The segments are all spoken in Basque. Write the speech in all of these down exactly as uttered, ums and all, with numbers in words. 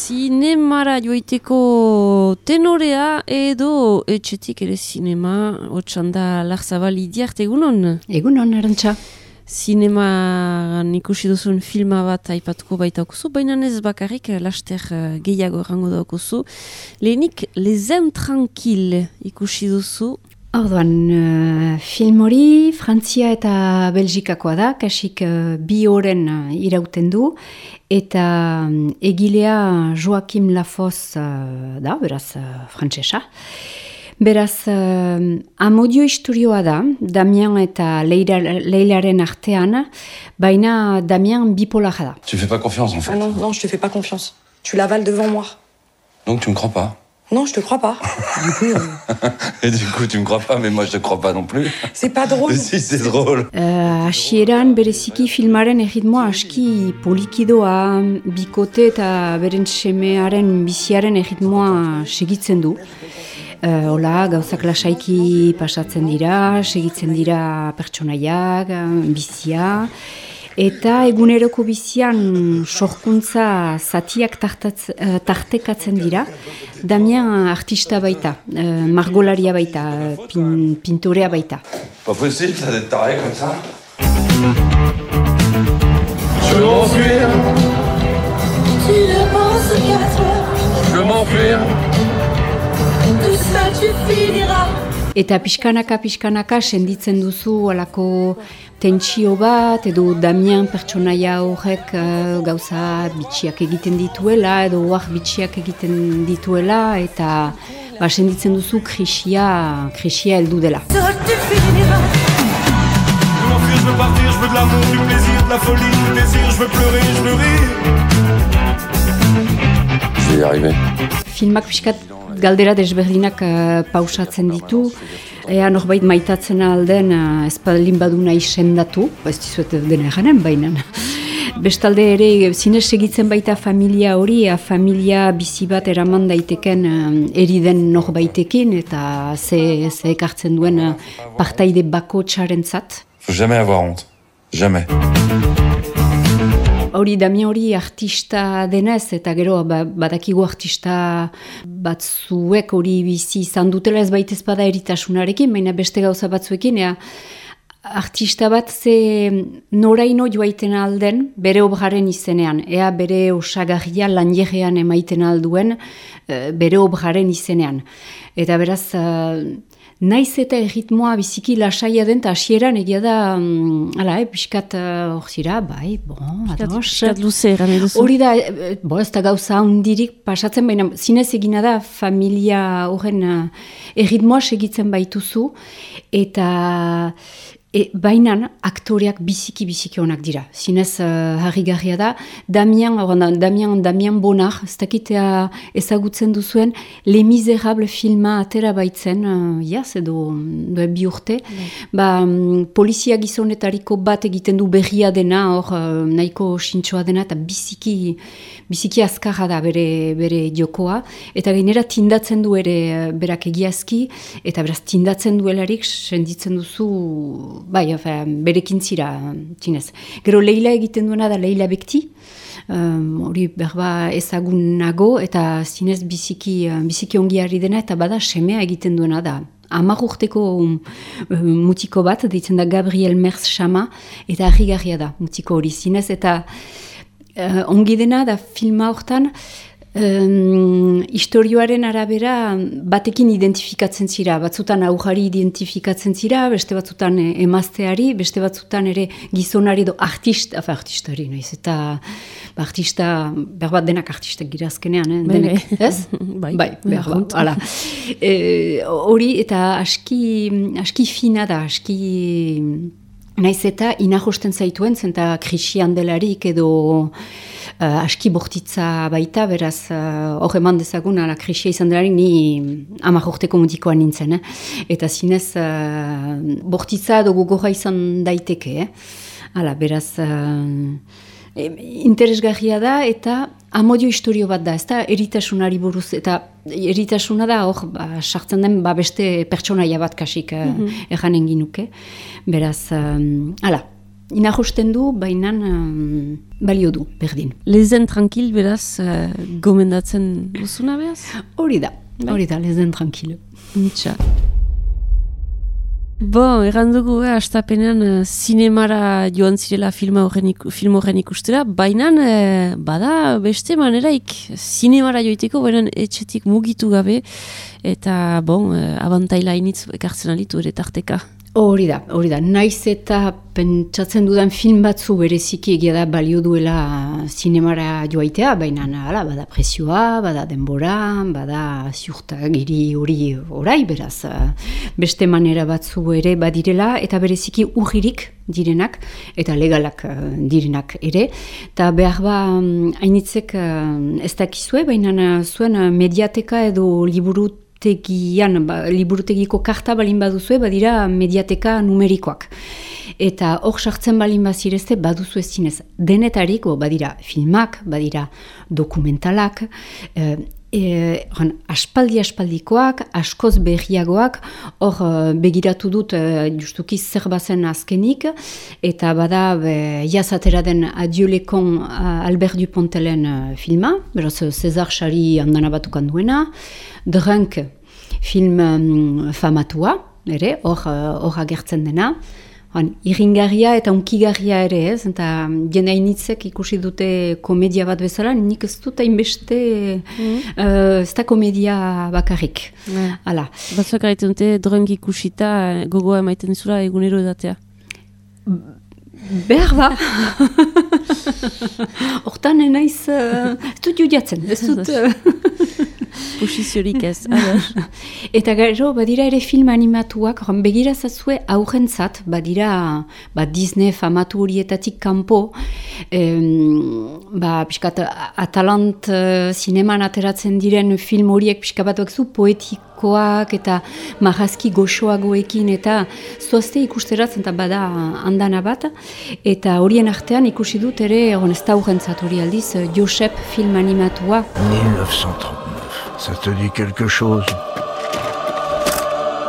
Zinemara joiteko tenorea edo etxetik ere zinema, otxanda Larzabal Idiart, egunon? Egunon, Arantxa. Zineman ikusi duzun filma bat aipatuko baita okuzu, baina ez bakarrik laster gehiago errango da okuzu. Lehenik, Les Intranquilles ikusi duzu. Orduan, uh, film hori Frantzia eta Belgikakoa da, kasik uh, bi oren uh, irauten du, eta um, egilea Joaquim Lafosse uh, da, beraz uh, frantsesa. Beraz, uh, amodio istorioa da, Damien eta Leila, Leilaren artean, baina Damien bipolar da. Tu fais pas confiance en fait. Ah non, non, je te fais pas confiance. Tu l'avales devant moi. Donc tu me crois pas? Non, je te crois pas. Du coup, euh... Et du coup, tu me crois pas, mais moi je te crois pas non plus. C'est pas drôle. Si, c'est drôle. Uh, Hasieran bereziki filmaren erritmoa aski polikidoa, bikote eta beren semearen biziaren erritmoa segitzen du. Uh, Ola, gauzak lasaiki pasatzen dira, segitzen dira pertsonaiak, bizia. Eta eguneroko bizian sorkuntza zatiak tartatz, uh, tartekatzen dira. Damien artista baita, uh, margolaria baita, pin, pintorea baita. Pas possible, ça d'être taré comme ça. Je veux m'enfuir. Tu ne penses qu'à toi. Je veux m'enfuir. Tout ça tu finiras. Eta pixkanaka, pixkanaka senditzen duzu alako tentsio bat, edo Damien pertsonaia horrek uh, gauza bitxiak egiten dituela, edo oak bitxiak egiten dituela, eta ba, senditzen duzu krisia, krisia heldu dela. Tout tu finiras. Je veux m'enfuir, je veux partir, je veux de l'amour, du plaisir, de la folie, du désir, je veux pleurer, je veux rire. Je vais y arriver. Filmak pixkat galdera desberdinak uh, pausatzen ditu, ea norbait maitatzen alden uh, ezpadalin badu nahi sendatu, ez dizuet dena eganen baina. Bestalde ere zinez segitzen baita familia hori, a familia bizi bat eraman daiteken uh, eriden norbaitekin, eta ze, ze ekartzen duen uh, partaide bako txarentzat. Faut jamais avoir honte. Jamais. Hori Damien hori artista denez, eta gero ba, badakigu artista batzuek hori bizi izan dutela ez baitez bada eritasunarekin, baina beste gauza batzuekin, ea, artista bat ze noraino joaiten alden bere obraren izenean, ea bere osagarria lanjerean emaiten alduen bere obraren izenean. Eta beraz, naiz eta erritmoa biziki lasaia den, eta hasieran egia da, ala, eh, pixkat hor uh, zira, bai, bon, ados. Pixkat luze eran eduzu. Hori da, bo, ez da gauza hundirik pasatzen, baina zinez egina da familia horren uh, erritmoa segitzen baituzu, eta e, bainan aktoreak biziki-biziki onak dira. Zinez uh, harrigarria da, Damien, oranda, Damien, Damien Bonar, ez dakitea ezagutzen duzuen, Les Miserables filma atera baitzen, uh, jaz, edo du, bi urte, mm. ba, um, polizia gizonetariko bat egiten du berria dena, hor uh, nahiko sintxoa dena, eta biziki, biziki azkarra da bere, bere jokoa, eta gainera tindatzen du ere uh, berak egiazki, eta beraz tindatzen duelarik senditzen duzu, bai, berekin zira, txinez. Gero Leila egiten duena da Leila Bekti, hori um, berba ezagunago, eta zinez biziki, biziki ongiari dena, eta bada semea egiten duena da. Hamar urteko um, mutiko bat, deitzen da Gabriel Merz Chama, eta harrigarria da mutiko hori zinez, eta uh, ongi dena da filma hortan, Um, historioaren arabera batekin identifikatzen zira, batzutan aujari identifikatzen zira, beste batzutan emazteari, beste batzutan ere gizonari edo artista, afa artistari, noiz, eta ba, artista, berbat denak artistak gira azkenean, eh? Denek, ez? bai, bai, berbat, hala. Hori, e, eta aski, aski fina da, aski... Naiz eta inajosten zaituen, zenta krisian delarik edo uh, aski bortitza baita, beraz hor uh, eman dezagun, ala krisia izan delarik ni hamar urteko mutikoa nintzen. Eh? Eta zinez uh, bortitza edo gogorra izan daiteke. Eh? Hala, beraz... Uh, interesgarria da eta amodio historio bat da, ez da eritasunari buruz, eta eritasuna da hor ba, sartzen den ba, beste pertsonaia bat kasik mm-hmm. uh, erranen ginuke. Beraz, um, ala, inajosten du, baina um, balio du, berdin. Lezen tranquil, beraz, uh, gomendatzen duzuna behaz? Hori da, hori da, lezen tranquil. Mitxa. Bo, errandugu, eh, astapenean uh, zinemara joan zirela film horren, iku, film horren ikustera, baina eh, bada beste maneraik zinemara joiteko, baina etxetik mugitu gabe, eta bon, eh, abantaila initz ekartzen alitu ere tarteka. Hori da, hori da. Naiz eta pentsatzen dudan film batzu bereziki egia da balio duela zinemara joaitea, baina hala, bada presioa, bada denbora, bada ziurtagiri hori orai, beraz, beste manera batzu ere badirela, eta bereziki urririk direnak, eta legalak direnak ere. Eta behar ba, hainitzek ez dakizue, baina zuen mediateka edo liburu Tegian, ba, liburutegiko karta balin baduzue, badira mediateka numerikoak. Eta hor sartzen balin bazirezte, baduzu ez zinez. Denetarik, bo, badira filmak, badira dokumentalak, e, e, aspaldi-aspaldikoak, askoz berriagoak, hor begiratu dut e, justuki zer bazen azkenik, eta bada be, jazatera den Adieu les cons Albert Dupontelen filma, beraz César Sari handana batukan duena, Drunk film um, famatua, ere, hor uh, agertzen dena. Han, irringarria eta unkigarria ere ez, eta jende hainitzek ikusi dute komedia bat bezala, nik ez dut hainbeste, mm. uh, ez da komedia bakarrik. Mm. Hala. Batzuak gaiten dute, Drunk ikusita gogoa emaiten zura egunero edatea. Behar ba. Hortan enaiz, uh, ez dut judiatzen, ez dut... Posiziorik ez, ados. Eta gero, badira ere film animatuak, begirazazue aurrentzat, badira ba, Disney famatu horietatik kanpo, em, ba, piskat, Atalant uh, zineman ateratzen diren film horiek pixka batuak zu poetikoak eta marrazki goxoagoekin eta zoazte ikusteratzen eta bada handana bat, eta horien artean ikusi dut ere, ez da aurrentzat hori aldiz, Josep film animatua. mille neuf cent trente-neuf. Ça te dit quelque chose?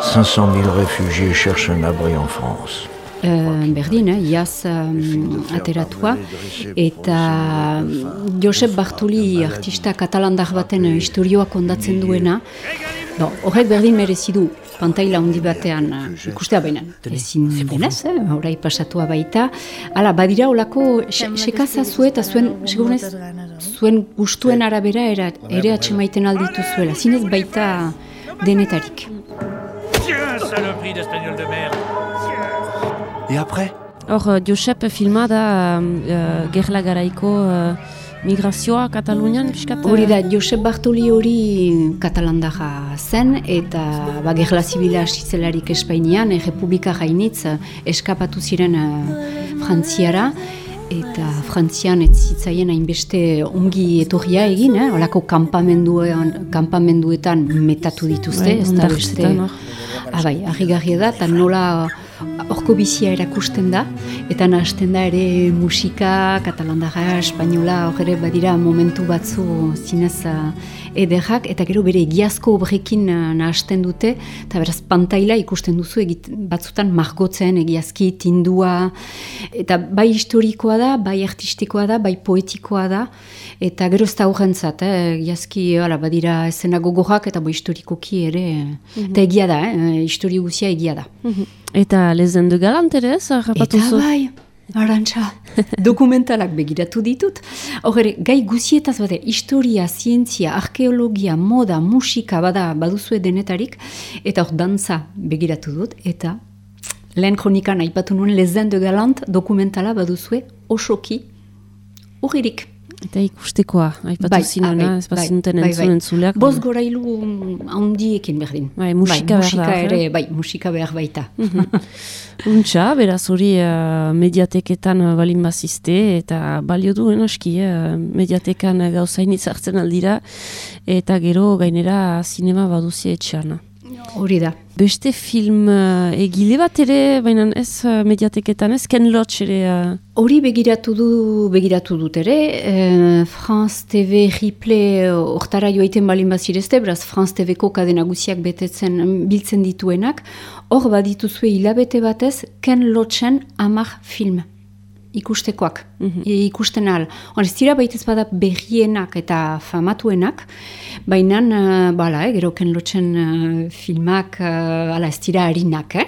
cinq cent mille réfugiés cherchent un abri en France. Uh, berdin, eh, iaz um, ateratua, eta Josep Bartoli artista katalandar baten historioa kondatzen duena, bon, horrek berdin merezi du pantaila handi batean uh, ikustea baina, ezin denez, eh, orai pasatua baita, hala, badira olako sekazazue eta zuen, segurunez, zuen gustuen arabera era, ere atxemaiten alditu zuela, zinez baita denetarik. Tiens, saloperie d'espagnol de merde. Et après? Hor, Josep filma da uh, gerla garaiko uh, migrazioa Katalunian, piskat? Hori da, Josep Bartoli hori katalandarra zen, eta ba, gerla zibila hasitzelarik Espainian, e, Republika Hainitz eskapatu ziren uh, Frantziara, eta Frantzian ez zitzaien hainbeste ongi etorria egin, eh? Olako kampamenduetan metatu dituzte, bai, ez da beste... Ah, bai, harrigarria da, eta nola horko bizia erakusten da, eta nahasten da ere musika, katalandara, espainola, hor ere badira momentu batzu zinez uh, ederrak, eta gero bere egiazko obrekin uh, nahasten dute, eta beraz pantaila ikusten duzu egit, batzutan margotzen, egiazki, tindua, eta bai historikoa da, bai artistikoa da, bai poetikoa da, eta gero ez da horrentzat, eh, egiazki, hala, badira esena gogorrak, eta bai historikoki ere, mm-hmm. eta egia da, eh, histori guzia egia da. Mm-hmm. Eta Lezen de Galant ere ez, harrapatu zu? Eta bai, arantxa, dokumentalak begiratu ditut. Horre, gai guzietaz bade, historia, zientzia, arkeologia, moda, musika, bada, baduzue denetarik, eta hor dantza begiratu dut, eta lehen kronikan aipatu nuen Lezen de Galant dokumentala baduzue osoki urririk. Eta ikustekoa, aipatu bai, zinuna, ez bazinuten bai, entzun entzuleak. Boz gorailu handiekin berdin. Bai, musika, bai, musika behar ere, bai, musika behar baita. Untxa, beraz hori uh, mediateketan uh, balin bazizte, eta balio duen aski, uh, mediatekan uh, gauzainitz hartzen aldira, eta gero gainera zinema baduzia etxean. Hori da. Beste film uh, egile bat ere, baina ez uh, mediateketan, ez Ken Loach ere... Hori uh... begiratu du, begiratu dut ere, eh, France T V Replay hortara joaiten balin bazirezte, beraz France T V-ko kadena guziak betetzen biltzen dituenak, hor badituzue hilabete batez Ken Loachen hamar film. ikustekoak, mm-hmm. ikusten ahal. Hor, ez dira baitez bada berrienak eta famatuenak, baina, uh, bala, eh, gero Ken Loachen uh, filmak, uh, ala, ez dira harinak, eh?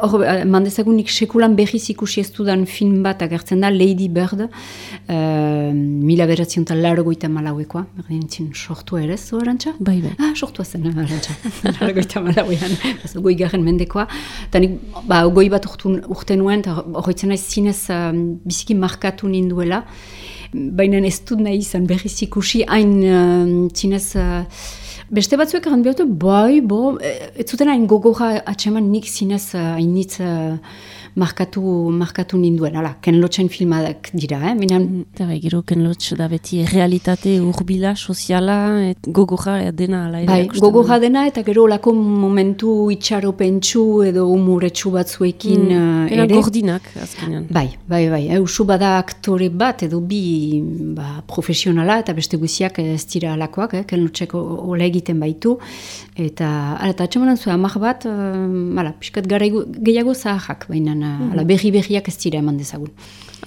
Hor, uh, mandezagunik sekulan berriz ikusi ez dudan film bat agertzen da, Lady Bird, uh, mila beratzion eta largoita malauekoa, berdintzen sortua ere, zo, Arantxa? Bai, bai. Ah, sortua zen, Arantxa, largoita malauean, goi garen mendekoa, eta nik, ba, goi bat urtun, urte nuen, eta horretzen naiz zinez uh, biziki markatu ninduela, baina ez dut nahi izan berriz ikusi, hain uh, zinez, uh, beste batzuek egan behatu, bai, bo, ez zuten hain gogorra atseman nik zinez hainitz uh, markatu, markatu ninduen, ala, Ken Loachen filmadak dira, eh? Minan... Eta bai, gero Ken Loach da beti realitate urbila, soziala, et gogorra dena. Ala, bai, gogorra dena, eta gero olako momentu itxaropentsu edo umuretsu batzuekin mm, uh, ere. Gordinak, azkenean. Bai, bai, bai, eusu bada aktore bat edo bi ba, profesionala, eta beste guziak ez dira alakoak, eh? Ken Loachek ole egiten baitu, eta ala, eta atxemanan zuen amak bat, uh, ala, piskat gara gehiago zaharrak, baina mm-hmm. ala, berri berriak ez dira eman dezagun.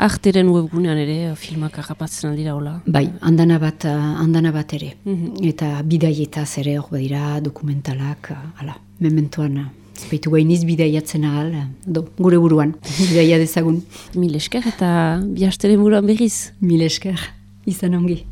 Arteren webgunean ere, filmak harrapatzen aldira hola. Bai, andana bat, andana bat ere. Mm-hmm. Eta bidaietaz ere hor badira dokumentalak, ala, mementoan, zbaitu gainiz bidaiatzen ahal, do, gure buruan, bidaia dezagun. Mil esker eta bihasteren buruan berriz. Mil esker, izan ongi.